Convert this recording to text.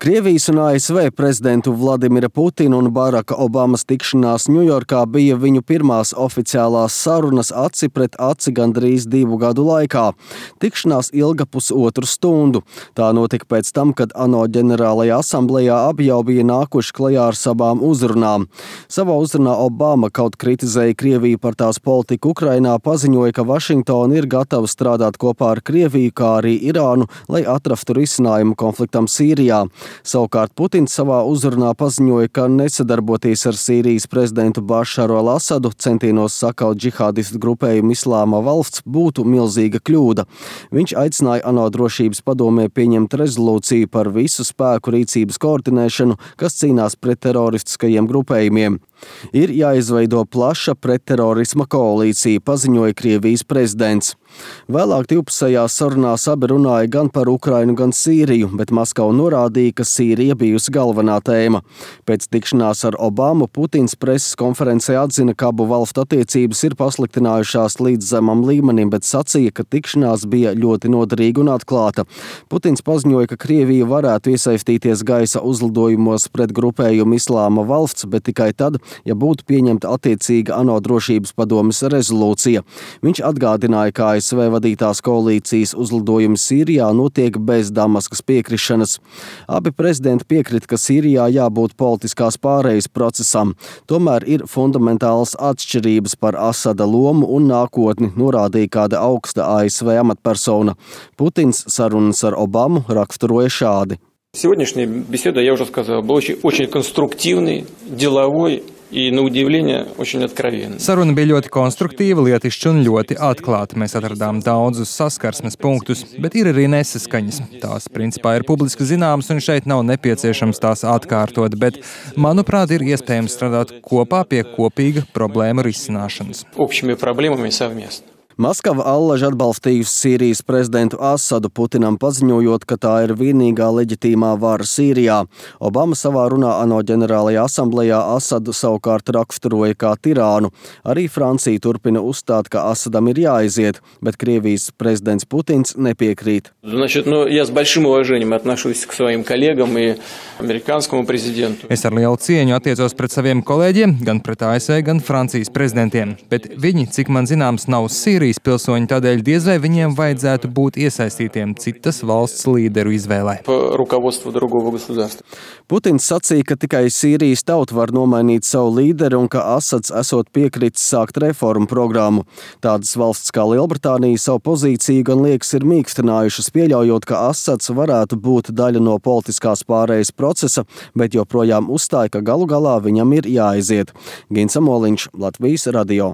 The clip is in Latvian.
Krievijas un ASV prezidentu Vladimira Putina un Baraka Obamas tikšanās Ņujorkā bija viņu pirmās oficiālās sarunas aci pret aci gandrīz 2 gadu laikā. Tikšanās ilga pusotru stundu. Tā notika pēc tam, kad ANO ģenerālajā asamblejā abi jau bija nākuši klajā ar savām uzrunām. Savā uzrunā Obama kaut kritizēja Krieviju par tās politiku Ukrainā, paziņoja, ka Vašingtona ir gatava strādāt kopā ar Krieviju, kā arī Irānu, lai atrastu risinājumu konfliktam Sīrijā. Savukārt Putins savā uzrunā paziņoja, ka nesadarboties ar Sīrijas prezidentu Bašaru al-Asadu centienos sakaut džihādistu grupējumu Islāma valsts būtu milzīga kļūda. Viņš aicināja ANO drošības padomē pieņemt rezolūciju par visu spēku rīcības koordinēšanu, kas cīnās pret teroristiskajiem grupējumiem. Ir jāizveido plaša pretterorisma koalīcija, paziņoja Krievijas prezidents. Vēlāk divpusējās sarunās abi runāja gan par Ukrainu, gan Sīriju, bet Maskava norādīja, ka Sīrija bijusi galvenā tēma. Pēc tikšanās ar Obamu Putins preses konferencē atzina, ka abu valstu attiecības ir pasliktinājušās līdz zemam līmenim, bet sacīja, ka tikšanās bija ļoti noderīga un atklāta. Putins paziņoja, ka Krievija varētu iesaistīties gaisa uzlidojumos pret grupējumu Islāma valsts, bet tikai tad, ja būtu pieņemta attiecīga ANO drošības padomes rezolūcija. Viņš atgādināja, ka ASV vadītās koalīcijas uzlidojumi Sīrijā notiek bez Damaskas piekrišanas. Abi prezidenti piekrita, ka Sīrijā jābūt politiskās pārejas procesam. Tomēr ir fundamentālas atšķirības par Asada lomu un nākotni, norādīja kāda augsta ASV amatpersona. Putins sarunas ar Obamu raksturoja šādi. Сегодняшняя беседа, я уже сказал, была очень конструктивной, деловой и, на удивление, очень откровенной. Saruna bija ļoti konstruktīva, lietišķa un ļoti atklāta. Mēs atradām daudzus saskarsmes punktus, bet ir arī nesaskaņas. Tās principā ir publiski zināmas un šeit nav nepieciešams tās atkārtot, bet, manuprāt, ir iespējams strādāt kopā pie kopīga problēmu risināšanas. Общими проблемами совместно. Maskava allaž atbalstījusi Sīrijas prezidentu Asadu, Putinam paziņojot, ka tā ir vienīgā leģitīmā vara Sīrijā. Obama savā runā ANO ģenerālajā asamblejā Asadu savukārt raksturoja kā tirānu. Arī Francija turpina uzstāt, ka Asadam ir jāaiziet, bet Krievijas prezidents Putins nepiekrīt. Я с большим уважением отношусь к своим коллегам и американскому президенту. Es ar lielu cieņu attiecos pret saviem kolēģiem, gan pret ASV, gan Francijas prezidentiem, bet viņi, cik man zināms, nav Sīrijas pilsoņi, tādēļ diez vai viņiem vajadzētu būt iesaistītiem citas valsts līderu izvēlē. Putins sacīja, ka tikai Sīrijas tauta var nomainīt savu līderi un ka Asads esot piekritis sākt reformu programmu. Tādas valsts kā Lielbritānija savu pozīciju gan liekas ir mīkstinājušas, pieļaujot, ka Asads varētu būt daļa no politiskās pārējas procesa, bet joprojām uzstāja, ka galu galā viņam ir jāaiziet. Gins Amoliņš, Latvijas radio.